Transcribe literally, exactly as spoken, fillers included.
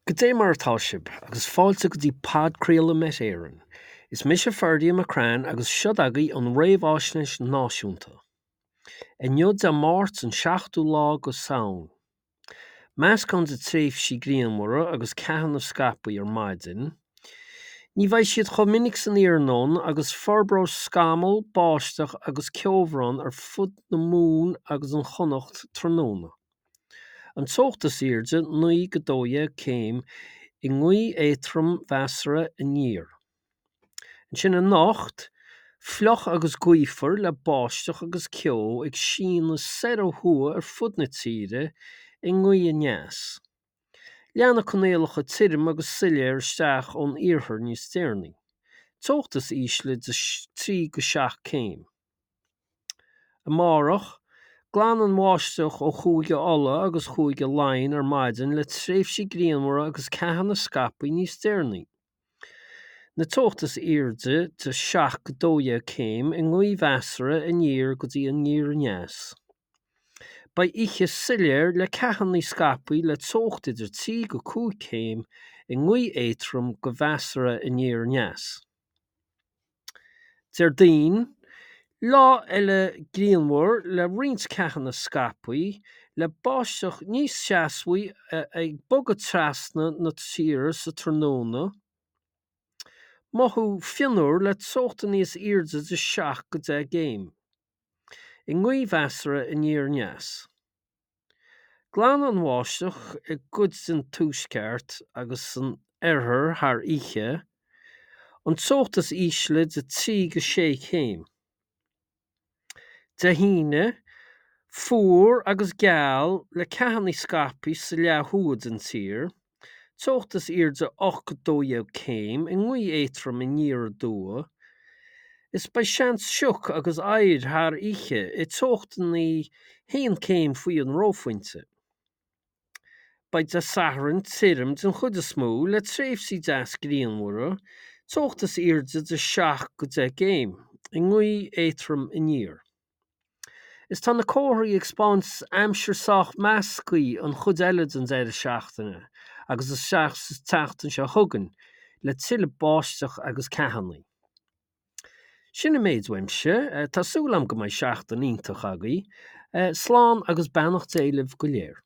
Goidé mar atá sibh, agus fáilte go dtí podchraoladh Met Éireann. Is mise Ferdia McCrann agus seo agaibh an réamhaisnéis náisiúnta. Inniu Dé Máirt an seachtú lá go Samhain. Meascán de tréimhsí grianmhara agus ceathanna scaipthe ar maidin. Ní bheidh siad chomh minic san iarnóin agus forbróidh scamaill, báisteach agus ceobhrán ar fud na Mumhan agus an Chonnacht tráthnóna. An teocht is airde naoi go dó dhéag céim i ngaoth éadrom mheasartha aniar. Ansin anocht, fliuch agus gaofar le báisteach agus ceo ag síneadh soir ó thuaidh ar fud na tíre i ngaoth aneas. Leanfaidh coinníollacha tirim agus soiléir isteach ón iarthar níos deireanaí. Teocht is ísle de trí go seacht céim. Amárach, glanfaidh an bháisteach ó Chúige Uladh agus Chúige Laighean ar maidin le tréimhsí grianmhara agus ceathanna scaipthe níos deireanaí. Na teocht is airde de seacht go dó dhéag céim i ngaoth mheasartha aniar go dtí aniar aneas. Beidh oíche soiléir le ceathanna scaipthe le teocht idir trí go cúig céim i ngaoth éadrom go mheasartha aniar aneas. Déardaoin, lá eile grianmhar le roinnt ceathanna scaipthe, le báisteach níos seasmhaí ag bogadh trasna na tíre sa tráthnóna. Mothú fionnuar le teochta níos airde de seacht go deich gcéim. I ngaoth mheasartha aniar aneas. Glanfaidh an bháisteach i gcuid den tuaisceart agus san oirthear thar oíche, an teocht is ísle de trí go sé chéim. Dé hAoine, fuar agus geal le ceathanna scaipthe sa leath thuaidh den tír, teocht is airde ocht go dó dhéag céim i ngaoth éadrom aniar aduaidh, is beidh seans sioc agus oighir thar oíche i teochtanna haon céim faoi an reophointe. Beidh Dé Sathairn tirim den chuid is mó le tréimhsí deas grianmhara, teocht is airde de seacht go deich gcéim, i ngaoth éadrom aniar. Is tá na comharthaí ag spáint aimsir sách measctha an chuid eile den deireadh seachtaine agus isteach sa tseachtain seo chugainn le tuilleadh báisteach agus ceathanna. Sin an méid uaimse, tá súil agam go mbeidh seachtain iontach agaibh. Slán agus beannacht Dé libh go léir.